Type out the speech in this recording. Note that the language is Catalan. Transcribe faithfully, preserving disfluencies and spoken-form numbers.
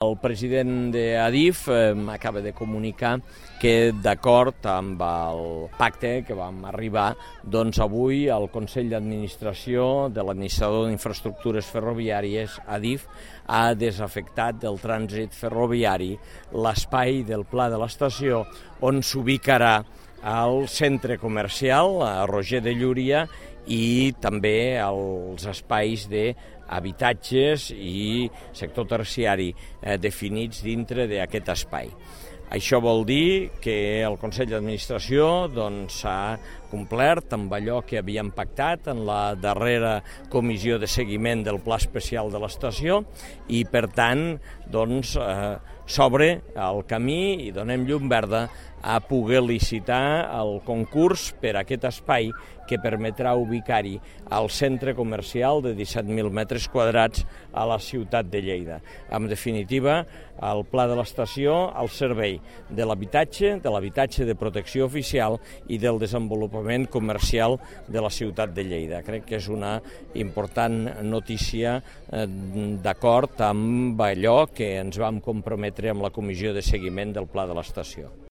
El president d'Adif eh, acaba de comunicar que, d'acord amb el pacte que vam arribar, doncs avui el Consell d'Administració de l'Administrador d'Infraestructures Ferroviàries, Adif, ha desafectat del trànsit ferroviari l'espai del Pla de l'Estació on s'ubicarà al centre comercial, a Roger de Llúria, i també els espais d'habitatges i sector terciari eh, definits dintre d'aquest espai. Això vol dir que el Consell d'Administració doncs, s'ha complert amb allò que havíem pactat en la darrera comissió de seguiment del Pla Especial de l'Estació i, per tant, doncs, eh, s'obre el camí i donem llum verda a poder licitar el concurs per a aquest espai que permetrà ubicar-hi al centre comercial de disset mil metres quadrats a la ciutat de Lleida. En definitiva, el Pla de l'Estació al servei de l'habitatge, de l'habitatge de protecció oficial i del desenvolupament comercial de la ciutat de Lleida. Crec que és una important notícia eh, d'acord amb allò que ens vam comprometre amb la comissió de seguiment del Pla de l'Estació.